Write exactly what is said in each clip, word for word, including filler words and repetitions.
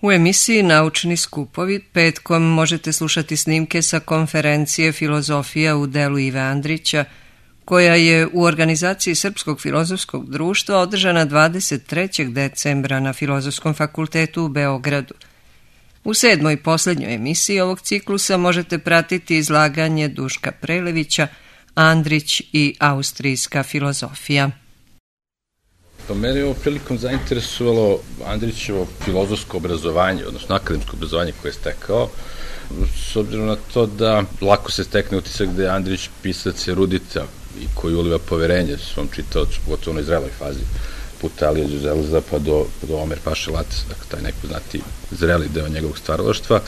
U emisiji Naučni skupovi petkom možete slušati snimke sa konferencije Filozofija u delu Ive Andrića, koja je u organizaciji Srpskog filozofskog društva održana dvadeset trećeg decembra na Filozofskom fakultetu u Beogradu. U sedmoj i poslednjoj emisiji ovog ciklusa možete pratiti izlaganje Duška Prelevića, Andrić i austrijska filozofija. Pa mene je ovo prilikom zainteresovalo Andrićevo filozofsko obrazovanje, odnosno akademsko obrazovanje koje je stekao, s obzirom na to da lako se stekne utisak da je Andrić pisac erudita i koji uliva poverenje svom čitaocu, pogotovo u zreloj fazi, puta Alija Đuzelza pa do, do Omer Paše Latesa, dakle taj nepoznati zreli deo njegovog stvaralaštva,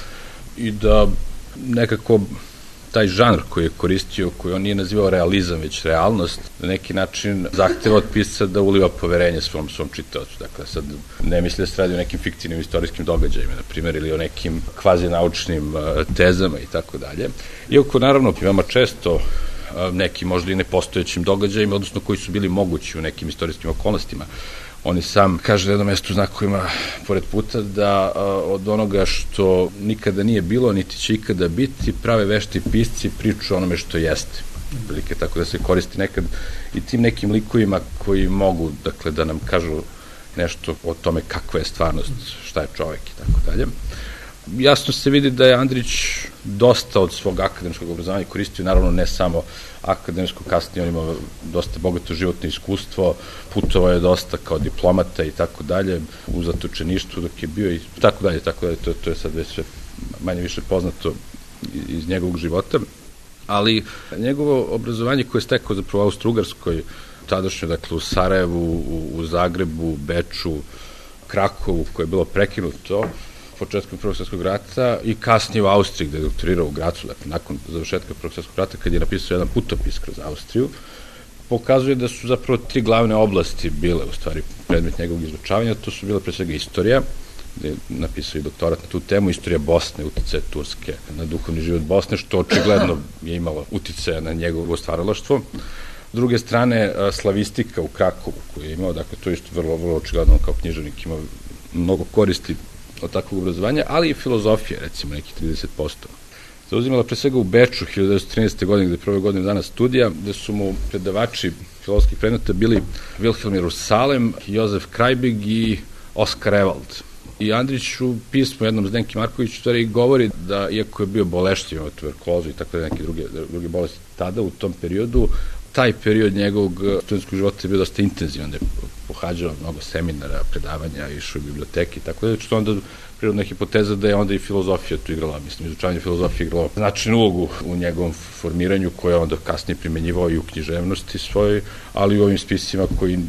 i da nekako taj žanr koji je koristio, koji on nije nazivao realizam, već realnost, na neki način zahteva od pisca da uliva poverenje svom, svom čitaocu. Dakle, sad ne misli da se radi o nekim fiktivnim istorijskim događajima, na primjer, ili o nekim kvazi naučnim tezama i tako dalje. Iako, naravno, veoma često nekim možda i nepostojećim događajima, odnosno koji su bili mogući u nekim istorijskim okolnostima. On i sam kaže na jednom mestu u znakovima pored puta da od onoga što nikada nije bilo, niti će ikada biti, prave vešti pisci priču onome što jeste. Prilike, tako da se koristi nekad i tim nekim likovima koji mogu, dakle, da nam kažu nešto o tome kakva je stvarnost, šta je čovek i tako dalje. Jasno se vidi da je Andrić dosta od svog akademskog obrazovanja koristio, naravno ne samo akademsko, kasnije on ima dosta bogato životno iskustvo, putovao je dosta kao diplomata i tako dalje, u zatočeništvu dok je bio i tako dalje, tako dalje, to, to je sad već sve manje više poznato iz njegovog života, ali njegovo obrazovanje koje je stekao zapravo u Austro-Ugarskoj, tadašnjo, dakle, u Sarajevu, u, u Zagrebu, Beču, Krakovu, koje je bilo prekinuto početkom Prvog svjetskog rata i kasnije u Austriji, gde je doktorirao u Gracu, dakle, nakon završetka Prvog svjetskog rata, kad je napisao jedan putopis kroz Austriju, pokazuje da su zapravo tri glavne oblasti bile, u stvari, predmet njegovog izučavanja. To su bile pre svega istorija, gde je napisao i doktorat na tu temu, istorija Bosne, uticaje Turske na duhovni život Bosne, što očigledno je imalo uticaja na njegovo stvaralaštvo. S druge strane, slavistika u Krakovu, koju je imao, dakle, to je isto vrlo, vrlo očigledno, kao književnik imao mnogo koristi od takvog obrazovanja, ali i filozofije, recimo, nekih trideset posto. Zauzimala pre svega u Beču hiljadu devetsto trinaeste. godine, gde je prve godine dana studija, gde su mu predavači filozofskih predmeta bili Wilhelm Jerusalem, Jozef Krajbig i Oskar Ewald. I Andrić u pismu jednom Zdenki Marković u stvari govori da, iako je bio boleštiv, imao tuberkulozu i tako da neke druge, druge bolesti tada, u tom periodu, taj period njegovog studentskog života je bio dosta intenzivan, da je pohađao mnogo seminara, predavanja, išao u biblioteki i tako da, što onda prirodna hipoteza da je onda i filozofija tu igrala, mislim, izučavanje filozofije igralo značajnu ulogu u njegovom formiranju, koje je onda kasnije primenjivao i u književnosti svojoj, ali i u ovim spisima koji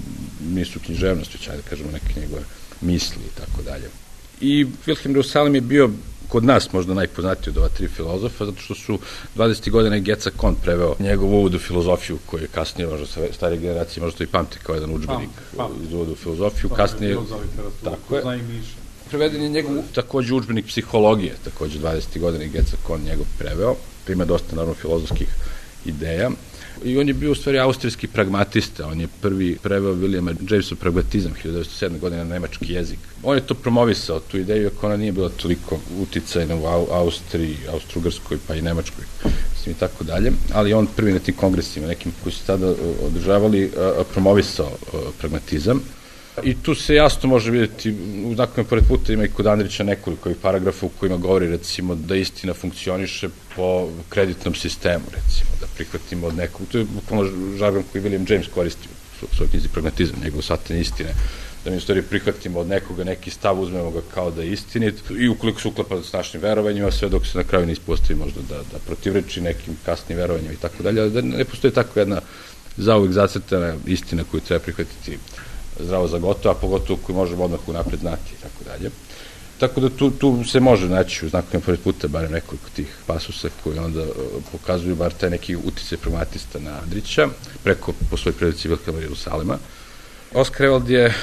nisu književnost, već, ajde da kažemo, neke njegove misli i tako dalje. I Wilhelm Jerusalem je bio kod nas možda najpoznatiji od ova tri filozofa, zato što su dvadesetih godina Geca Kon preveo njegov uvod u filozofiju, koji je kasnije, možda sa starije generacije, možda to i pamti kao jedan udžbenik iz uvoda u filozofiju. Kasnije, tako je, preveden je njegov takođe udžbenik psihologije, takođe dvadesetih godina Geca Kon njegov preveo, prima dosta, naravno, filozofskih ideja. I on je bio u stvari austrijski pragmatista, on je prvi preveo Williama Jamesov pragmatizam hiljadu devetsto sedme. godine na nemački jezik. On je to promovisao, tu ideju, ako ona nije bila toliko uticajna u Austriji, Austro-Ugarskoj, pa i Nemačkoj, mislim i tako dalje, ali on prvi na tim kongresima, nekim koji su tada održavali, promovisao pragmatizam. I tu se jasno može vidjeti, u znakovima pored puta ima i kod Andrića nekoliko ovih paragrafa u kojima govori, recimo, da istina funkcioniše po kreditnom sistemu, recimo, da prihvatimo od nekog, to je bukvalno žargon koji William James koristi u svojoj knjizi Pragmatizam, njegov shvatanje istine, da mi u stvari prihvatimo od nekoga neki stav, uzmemo ga kao da je istinit i ukoliko se uklapa s našim verovanjima, sve dok se na kraju ne ispostavi možda da, da protivreči nekim kasnim verovanjima i tako dalje, da ne postoji tako jedna zauvek zacrtana istina koju treba prihvatiti zdravo za gotovo, a pogotovo koju možemo odmah unapred znati i tako dalje. Tako da tu, tu se može naći u znakovima pored puta barem nekoliko tih pasusa koji onda pokazuju bar taj neki uticaj pragmatista na Andrića, preko po svoj predici Wilhelma Jerusalema. Oskar Ewald je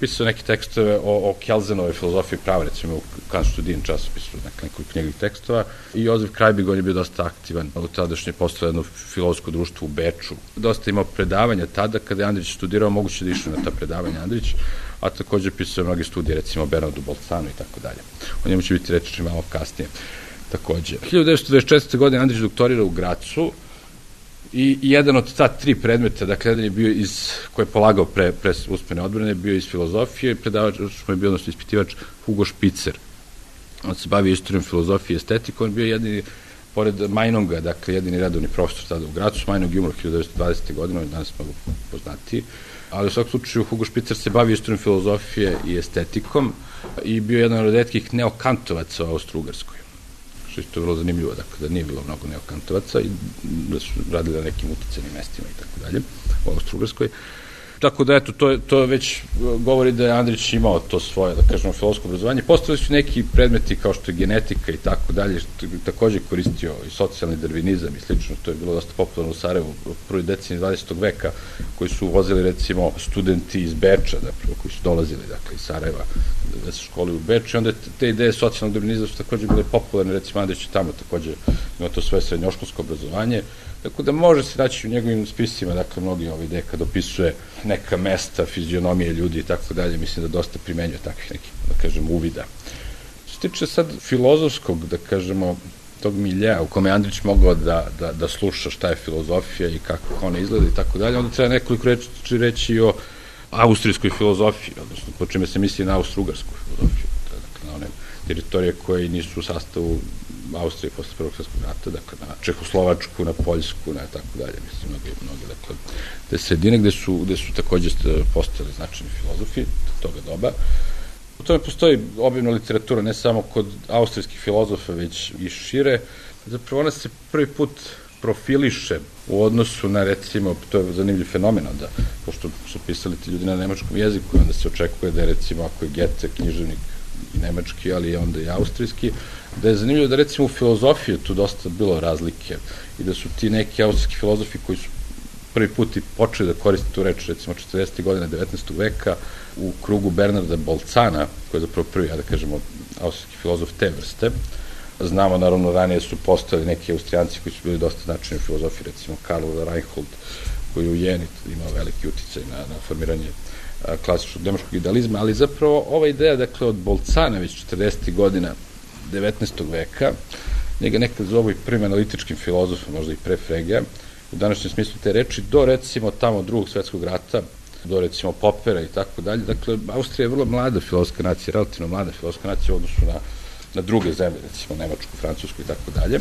pisao neke tekstove o, o Kelsenove filozofiji prava, recimo u Kanstudin časopisu, nekoliko knjigovih tekstova, i Jozef Krajbig, on je bio dosta aktivan u tadašnje postalo jedno filozofsko društvo u Beču. Dosta imao predavanja tada, kada je Andrić studirao, moguće da išao na ta predavanja Andrić, a takođe pisao mnoge studije, recimo o Bernardu Bolcanu i tako dalje. O njemu će biti reči malo kasnije. Takođe, hiljadu devetsto dvadeset četvrte. godine Andrić doktorira u Gracu, i jedan od ta tri predmeta, dakle, jedan je bio iz, koji je polagao pre, pre usmene odbrane, bio iz filozofije, predavač mu je bio, odnosno ispitivač, Hugo Špicer. On se bavio istorijom filozofije i estetikom, on bio jedini, pored Majnonga, dakle, jedini redovni profesor tada u Gracu. Majnog je umro hiljadu devetsto dvadesete. godine, on je danas mnogo poznatiji, ali u svakom slučaju Hugo Špicer se bavio istorijom filozofije i estetikom i bio jedan od retkih neokantovaca u Austro-Ugarskoj. Što isto je vrlo zanimljivo, dakle, da nije bilo mnogo neokantovaca i da su radili na nekim uticenim mestima i tako dalje u Austro-Ugarskoj. Tako da, eto, to, to već govori da je Andrić imao to svoje, da kažemo, filozofsko obrazovanje. Postavili su neki predmeti kao što je genetika i tako dalje, što je takođe koristio i socijalni darvinizam i slično, to je bilo dosta popularno u Sarajevu u prvoj deceniji dvadesetog veka, koji su vozili, recimo, studenti iz Beča, zapravo, koji su dolazili, dakle, iz Sarajeva, da se školi u Beču, i onda te ideje socijalnog darvinizma su takođe bile popularne, recimo, Andrić je tamo takođe imao to svoje srednjoškolsko obrazovanje, tako da može se naći u njegovim spisima, dakle, mnogi ove ideje kad opisuje neka mesta, fizionomije ljudi i tako dalje, mislim da dosta primenjuje takvih nekih, da kažem, uvida. Što se tiče sad filozofskog, da kažemo, tog miljeja u kome Andrić mogao da, da, da sluša šta je filozofija i kako ona izgleda i tako dalje, onda treba nekoliko reči reći o austrijskoj filozofiji, odnosno po čime se misli na austro-ugarsku filozofiju, dakle, na one teritorije koje nisu u sastavu Austrije posle Prvog svjetskog rata, dakle, na Čehoslovačku, na Poljsku, na tako dalje, mislim, mnogi, mnogi, dakle, te sredine gde su, gde su takođe postali značajni filozofi toga doba. U tome postoji obimna literatura, ne samo kod austrijskih filozofa, već i šire. Zapravo ona se prvi put profiliše u odnosu na, recimo, to je zanimljiv fenomen, onda, pošto su pisali ti ljudi na nemačkom jeziku, onda se očekuje da je, recimo, ako je Goethe književnik i nemački, ali onda i austrijski, da je zanimljivo da, recimo, u filozofiji tu dosta bilo razlike i da su ti neki austrijski filozofi koji su prvi put i počeli da koriste tu reč, recimo, četrdesetih godina devetnaestog veka u krugu Bernarda Bolcana, koji je zapravo prvi, ja da kažemo, austrijski filozof te vrste. Znamo, naravno, ranije su postojali neki Austrijanci koji su bili dosta značajni u filozofiji, recimo Karl Reinhold, koji je u Jeni imao veliki uticaj na, na formiranje klasičnog nemačkog idealizma, ali zapravo ova ideja, dakle, od Bolcana već četrdesetih godina devetnaestog veka, njega nekad zovu i prvim analitičkim filozofom, možda i pre Fregea, u današnjem smislu te reči, do, recimo, tamo drugog svetskog rata, do, recimo, Popera i tako dalje. Dakle, Austrija je vrlo mlada filozofska nacija, relativno mlada filozofska nacija u odnosu na, na druge zemlje, recimo Nemačku, Francusku i tako dalje,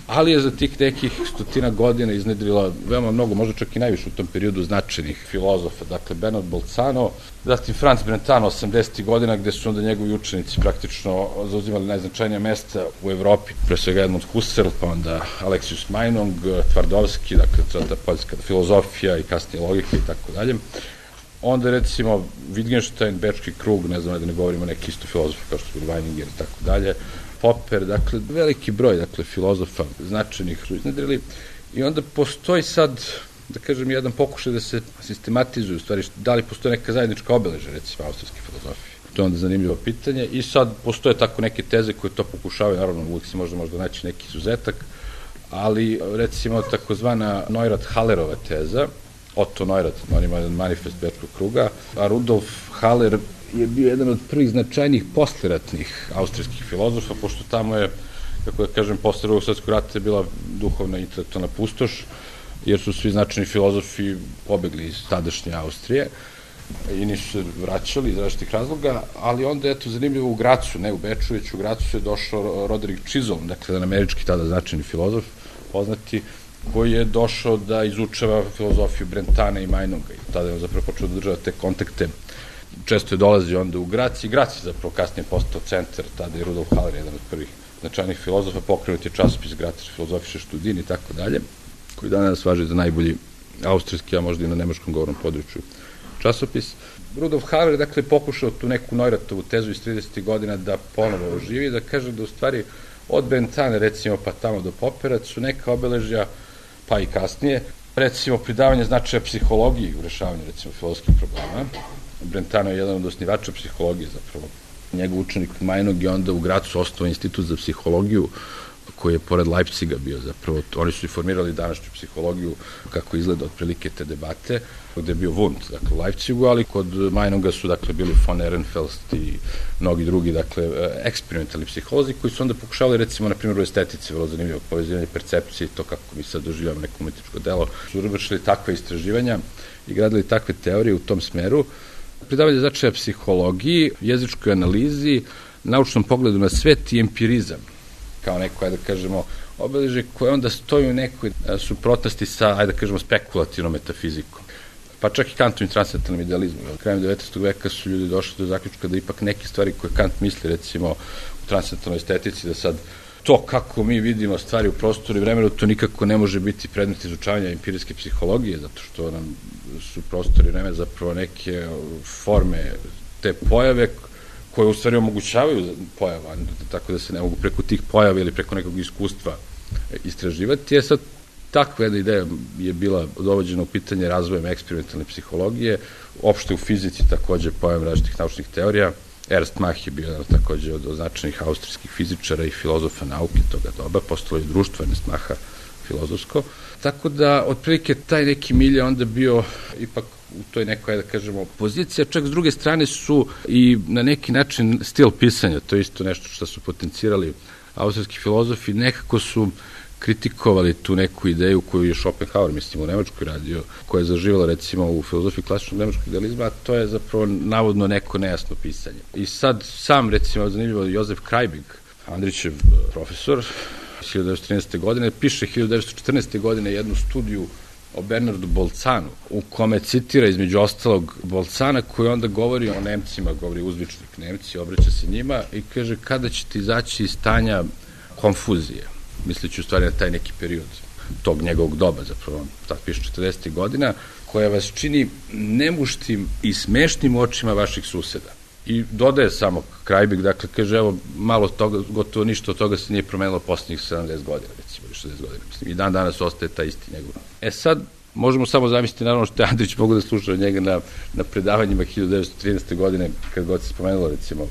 ali je za tih nekih stotina godina iznedrila veoma mnogo, možda čak i najviše u tom periodu značajnih filozofa, dakle Bernard Bolzano, zatim Franz Brentano osamdesetih godina, gde su onda njegovi učenici praktično zauzimali najznačajnija mesta u Evropi, pre svega Edmund Husserl, pa onda Aleksius Meinong, Tvardovski, dakle ta poljska filozofija i kasnije logika i tako dalje. Onda, recimo, Wittgenstein, Bečki krug, ne znam da ne govorimo neki isto filozofi kao što su Weininger i tako dalje, Popper, dakle, veliki broj, dakle, filozofa značajnih su iznedrili i onda postoji sad, da kažem, jedan pokušaj da se sistematizuju, u stvari, da li postoje neka zajednička obeleža, recimo, austrijske filozofije. To je onda zanimljivo pitanje i sad postoje tako neke teze koje to pokušavaju, naravno, uvijek se možda možda naći neki izuzetak, ali, recimo, takozvana Neurath-Hallerova teza, Otto Neurath, on ima jedan manifest Bečkog kruga, a Rudolf Haller je bio jedan od prvih značajnijih posleratnih austrijskih filozofa, pošto tamo je, kako da kažem, posle Drugog svjetskog rata je bila duhovna i intelektualna pustoš, jer su svi značajni filozofi pobegli iz tadašnje Austrije i nisu se vraćali iz različitih razloga, ali onda je to zanimljivo u Gracu, ne u Beču, već u Gracu je došao Roderick Chisholm, dakle jedan američki tada značajni filozof, poznati, koji je došao da izučava filozofiju Brentana i Meinonga i tada je on zapravo počeo da država te kontakte. Često je dolazio onda u Grac i Grac je zapravo kasnije postao centar, tada je Rudolf Haller, jedan od prvih značajnih filozofa, pokrenut je časopis Grazer filozofische Studien i tako dalje, koji danas važi za najbolji austrijski, a možda i na nemačkom govornom području časopis. Rudolf Haller, dakle, pokušao tu neku Neuratovu tezu iz tridesetih godina da ponovo oživi, da kaže da u stvari od Brentana, recimo, pa tamo do Poppera su neka obeležja, pa i kasnije, recimo, pridavanje značaja psihologiji u rešavanju, recimo, filozofskih problema, Brentano je jedan od osnivača psihologije zapravo. Njegov učenik Meinog je onda u Gracu osnovao institut za psihologiju, koji je pored Leipziga bio zapravo. Oni su i formirali današnju psihologiju, kako izgleda otprilike te debate, gde je bio Wundt, dakle u Leipzigu, ali kod Meinoga su dakle bili von Ehrenfels i mnogi drugi, dakle, eksperimentalni psiholozi koji su onda pokušavali, recimo, na primjer u estetici, vrlo zanimljivo povezivanje percepcije i to kako mi sad doživljamo neko umetničko delo, su vršili takve istraživanja i gradili takve teorije u tom smeru. Pridavanje značaja psihologiji, jezičkoj analizi, naučnom pogledu na svet i empirizam, kao neko, ajde da kažemo, obeleže koje onda stoji u nekoj suprotnosti sa, ajde da kažemo, spekulativnom metafizikom. Pa čak i Kantovim transcendentalnim idealizmom. Krajem devetnaestog veka su ljudi došli do zaključka da ipak neke stvari koje Kant misli, recimo, u transcendentalnoj estetici, da sad to kako mi vidimo stvari u prostoru i vremenu, to nikako ne može biti predmet izučavanja empirijske psihologije, zato što nam su prostori i vreme zapravo neke forme te pojave koje u stvari omogućavaju pojava, tako da se ne mogu preko tih pojava ili preko nekog iskustva istraživati. Je sad takva jedna ideja je bila dovođena u pitanje razvojem eksperimentalne psihologije, opšte u fizici takođe pojam različitih naučnih teorija. Ernst Mach je bio jedan takođe od značajnih austrijskih fizičara i filozofa nauke toga doba, postalo je društvo Ernst Macha filozofsko. Tako da, otprilike, taj neki milje onda bio ipak u toj nekoj, da kažemo, pozicija, čak s druge strane su i na neki način stil pisanja, to je isto nešto što su potencirali austrijski filozofi, nekako su kritikovali tu neku ideju koju je Schopenhauer, mislim, u Nemačkoj radio, koja je zaživala, recimo, u filozofiji klasičnog nemačkog idealizma, a to je zapravo navodno neko nejasno pisanje. I sad sam, recimo, zanimljivo, Josef Kreibig, Andrićev profesor, hiljadu devetsto trinaeste. godine, piše hiljadu devetsto četrnaeste. godine jednu studiju o Bernardu Bolzanu, u kome citira između ostalog Bolzana, koji onda govori o Nemcima, govori uzvičnik Nemci, obraća se njima i kaže kada ćete izaći iz stanja konfuzije, misleći u stvari na taj neki period tog njegovog doba, zapravo, tako piše četrdesetih. godina, koja vas čini nemuštim i smešnim u očima vaših suseda. I dodaje samo Kreibig, dakle, kaže, evo, malo toga, gotovo ništa od toga se nije promenilo poslednjih sedamdeset godina, recimo, ili šezdeset godina, mislim, i dan danas ostaje ta isti njegov. E sad, možemo samo zamisliti, naravno, što je Andrić mogu da sluša od njega na, na predavanjima hiljadu devetsto trinaeste. godine, kad god se spomenulo, recimo.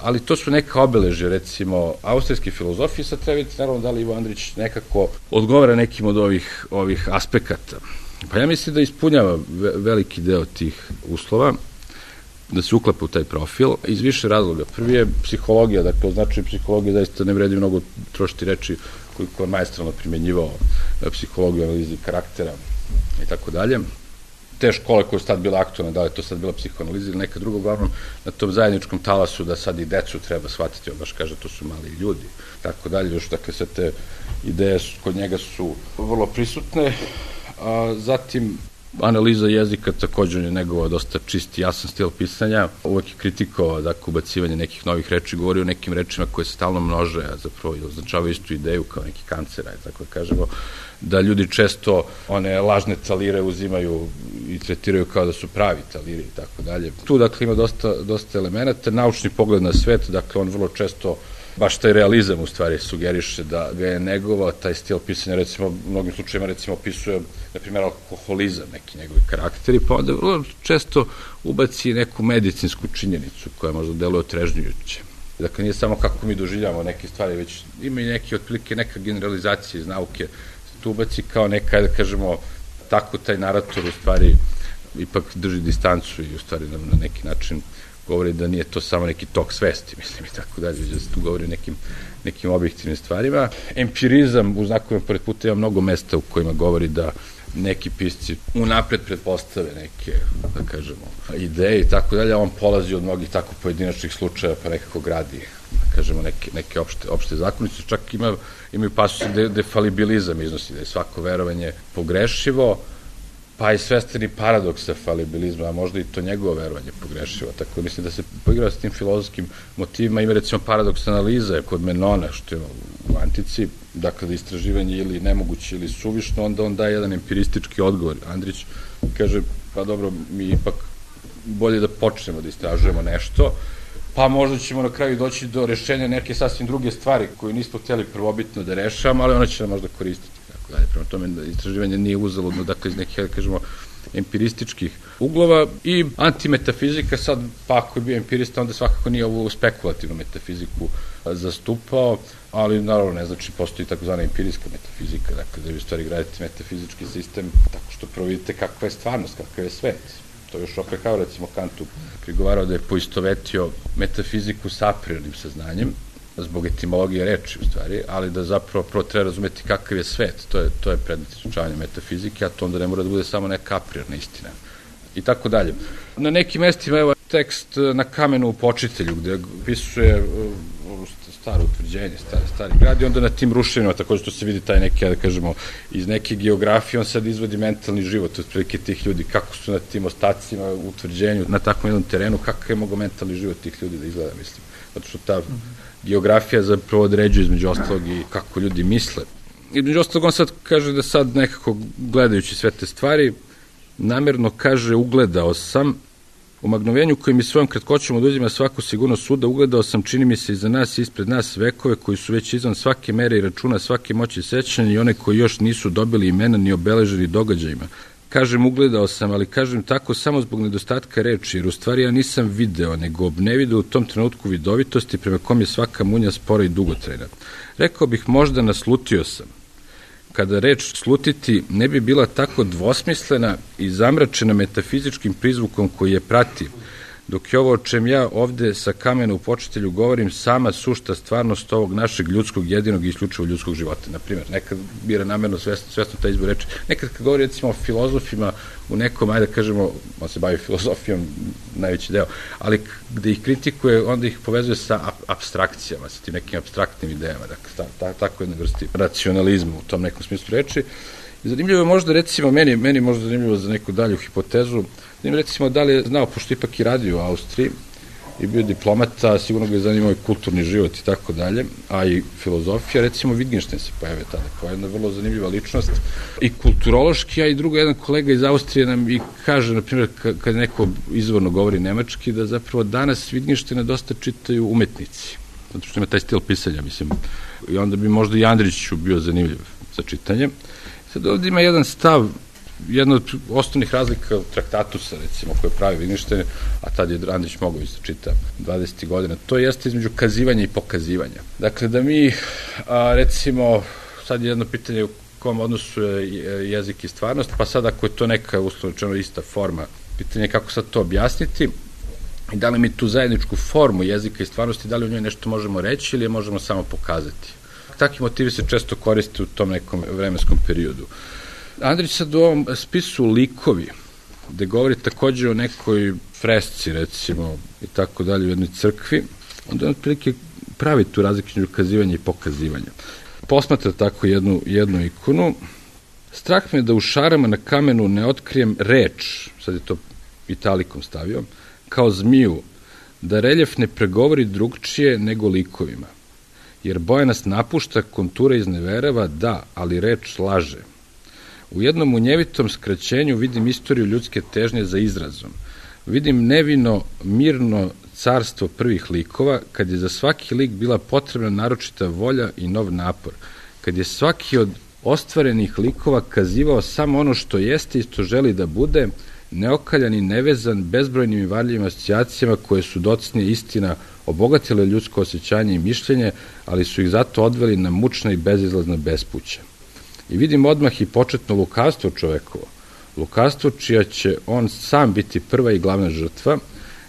Ali to su neka obeležja, recimo, austrijske filozofije, sad treba vidjeti, naravno, da li Ivo Andrić nekako odgovara nekim od ovih, ovih aspekata. Pa ja mislim da ispunjava veliki deo tih uslova, da se uklapa u taj profil, iz više razloga. Prvi je psihologija, dakle, označuje psihologija, zaista ne vredi mnogo trošiti reči koliko je maestralno primjenjivao psihologiju, analizi karaktera i tako dalje. Te škole koje su sad bila aktualne, da li je to sad bila psihoanaliza ili neka druga, uglavnom na tom zajedničkom talasu da sad i decu treba shvatiti, on baš kaže to su mali ljudi, tako dalje, još dakle sve te ideje kod njega su vrlo prisutne, a zatim analiza jezika, također je negovao dosta čist i jasan stil pisanja, uvek je kritikovao, dakle, ubacivanje nekih novih reči, govori o nekim rečima koje se stalno množe, a zapravo označavaju istu ideju kao neki kancer, tako da kažemo, da ljudi često one lažne talire uzimaju i tretiraju kao da su pravi taliri i tako dalje. Tu, dakle, ima dosta, dosta elemenata, naučni pogled na svet, dakle, on vrlo često baš taj realizam u stvari sugeriše da ga je negovao, taj stil pisanja, recimo, u mnogim slučajima, recimo, opisuje, na primjer, alkoholizam, neki njegovi karakteri, pa onda vrlo često ubaci neku medicinsku činjenicu koja možda deluje otrežnjujuće. Dakle, nije samo kako mi doživljamo neke stvari, već ima i neki, otprilike, neka generalizacija iz nauke, tu ubaci kao neka, da kažemo, tako taj narator u stvari ipak drži distancu i u stvari na, na neki način govori da nije to samo neki tok svesti, mislim, i tako dalje, da se tu govori o nekim, nekim objektivnim stvarima. Empirizam, u znakovima pored puta, ima mnogo mesta u kojima govori da neki pisci unapred pretpostave neke, da kažemo, ideje i tako dalje, a on polazi od mnogih tako pojedinačnih slučaja, pa nekako gradi, da kažemo, neke, neke opšte, opšte zakonice, čak ima, imaju pasuse de, defalibilizam iznosi, da je svako verovanje pogrešivo, pa i svestani paradoks falibilizma, a možda i to njegovo verovanje pogrešivo. Tako mislim da se poigrava s tim filozofskim motivima. Ima recimo paradoks analize kod Menona, što je u antici, dakle da istraživanje ili nemoguće ili suvišno, onda on daje jedan empiristički odgovor. Andrić kaže, pa dobro, mi ipak bolje da počnemo da istražujemo nešto, pa možda ćemo na kraju doći do rešenja neke sasvim druge stvari koju nismo htjeli prvobitno da rešavamo, ali ona će nam možda koristiti. Dalje, prema tome, istraživanje nije uzaludno, dakle, iz nekih, da kažemo, empirističkih uglova i antimetafizika, sad pa ako je bio empirista, onda svakako nije ovu spekulativnu metafiziku zastupao, ali naravno ne znači postoji takozvana empirijska metafizika, dakle da vi u stvari gradite metafizički sistem tako što prvo vidite kakva je stvarnost, kakav je svet. To još opet kao recimo Kantu prigovarao da je poistovetio metafiziku sa a priornim saznanjem, zbog etimologije reči u stvari, ali da zapravo prvo treba razumeti kakav je svet, to je, to je predmet izučavanja metafizike, a to onda ne mora da bude samo neka a priorna istina. I tako dalje. Na nekim mestima, evo, tekst Na kamenu u Počitelju, gde pisuje staro utvrđenje, stari, stari grad i onda na tim ruševinama, takođe što se vidi taj neki, da kažemo, iz neke geografije, on sad izvodi mentalni život, otprilike tih ljudi, kako su na tim ostacima, utvrđenju, na takvom jednom terenu, kako je mogo mentalni život tih ljudi da izgleda, mislim. Zato što ta geografija zapravo određuje između ostalog i kako ljudi misle. Između ostalog on sad kaže da sad nekako gledajući sve te stvari, namerno kaže ugledao sam, u magnovenju koji mi svojom kratkoćom oduzima svaku sigurnost suda, ugledao sam, čini mi se, iza nas i ispred nas vekove koji su već izvan svake mere i računa, svake moći sećanja i one koji još nisu dobili imena ni obeleženi događajima. Kažem ugledao sam, ali kažem tako samo zbog nedostatka reči, jer u stvari ja nisam video, nego obnevideo u tom trenutku vidovitosti prema kom je svaka munja spora i dugotrajna. Rekao bih možda naslutio sam. Kada reč slutiti ne bi bila tako dvosmislena i zamračena metafizičkim prizvukom koji je prati, dok je ovo o čem ja ovde sa kamena u Počitelju govorim sama sušta stvarnost ovog našeg ljudskog, jedinog i isključivo ljudskog života. Naprimjer, nekad bira namerno svesno, svesno taj izbor reči. Nekad kad govori recimo o filozofima u nekom, ajde da kažemo, on se bavi filozofijom najveći deo, ali gde ih kritikuje, onda ih povezuje sa apstrakcijama, sa tim nekim apstraktnim idejama, dakle, ta, ta, tako jedna vrsti racionalizma u tom nekom smislu reči. I zanimljivo je možda, recimo, meni, meni možda zanimljivo za neku dalju hipotezu, zanimljivo recimo da li je znao, pošto ipak i radio u Austriji i bio diplomata, sigurno ga je zanimao i kulturni život i tako dalje, a i filozofija, recimo Wittgenstein se pojavio tada, kao jedna vrlo zanimljiva ličnost i kulturološki, a i drugo, jedan kolega iz Austrije nam i kaže, na primjer, kad neko izvorno govori nemački, da zapravo danas Wittgensteina dosta čitaju umetnici, zato što ima taj stil pisanja, mislim, i onda bi možda i Andriću bio zanimljiv za čitanje. Sad ovdje ima jedan stav, jedna od osnovnih razlika Traktatusa, recimo, koje pravi Wittgenstein, a tad je Andrić mogao isto čita dvadesetih godina, to jeste između kazivanja i pokazivanja. Dakle, da mi, a, recimo, sad je jedno pitanje u kom odnosu je jezik i stvarnost, pa sad ako je to neka, uslovno rečeno, ista forma, pitanje je kako sad to objasniti i da li mi tu zajedničku formu jezika i stvarnosti, da li u njoj nešto možemo reći ili je možemo samo pokazati. Takvi motivi se često koriste u tom nekom vremenskom periodu. Andrić sad u ovom spisu Likovi, gde govori takođe o nekoj fresci, recimo, i tako dalje, u jednoj crkvi, onda on otprilike pravi tu razliku između kazivanja i pokazivanja. Posmatra tako jednu, jednu ikonu. Strah me da u šarama na kamenu ne otkrijem reč, sad je to italikom stavio, kao zmiju, da reljef ne pregovori drugčije nego likovima. Jer boja nas napušta, kontura izneverava, da, ali reč laže. U jednom munjevitom skraćenju vidim istoriju ljudske težnje za izrazom. Vidim nevino, mirno carstvo prvih likova, kad je za svaki lik bila potrebna naročita volja i nov napor, kad je svaki od ostvarenih likova kazivao samo ono što jeste i što želi da bude, neokaljan i nevezan bezbrojnim i varljivim asocijacijama koje su docnije istina obogatile ljudsko osjećanje i mišljenje, ali su ih zato odveli na mučna i bezizlazna bespuća. I vidim odmah i početno lukavstvo čovekovo, lukavstvo čija će on sam biti prva i glavna žrtva,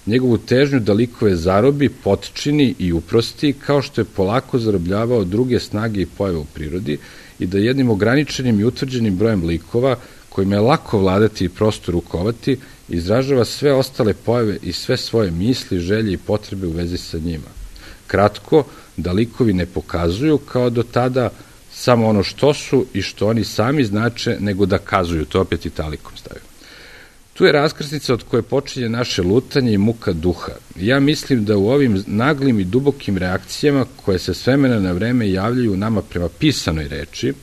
njegovu težnju da likove zarobi, potčini i uprosti, kao što je polako zarobljavao druge snage i pojave u prirodi i da jednim ograničenim i utvrđenim brojem likova, kojima je lako vladati i prosto rukovati, izražava sve ostale pojave i sve svoje misli, želje i potrebe u vezi sa njima. Kratko, da likovi ne pokazuju kao do tada samo ono što su i što oni sami znače, nego da kazuju, to opet italikom stavio. Tu je raskrsnica od koje počinje naše lutanje i muka duha. Ja mislim da u ovim naglim i dubokim reakcijama, koje se s vremena na vreme javljaju nama prema pisanoj reči,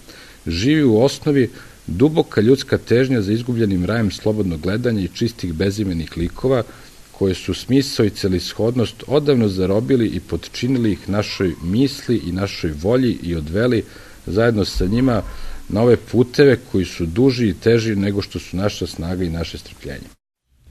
živi u osnovi duboka ljudska težnja za izgubljenim rajem slobodnog gledanja i čistih bezimenih likova, koje su smisao i celishodnost odavno zarobili i podčinili ih našoj misli i našoj volji i odveli zajedno sa njima na ove puteve koji su duži i teži nego što su naša snaga i naše strpljenje.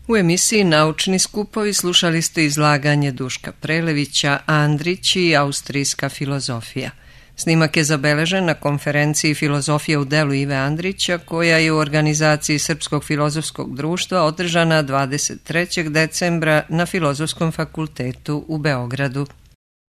U emisiji Naučni skupovi slušali ste izlaganje Duška Prelevića, Andrić i austrijska filozofija. Snimak je zabeležen na konferenciji Filozofija u delu Ive Andrića, koja je u organizaciji Srpskog filozofskog društva održana dvadeset trećeg decembra na Filozofskom fakultetu u Beogradu.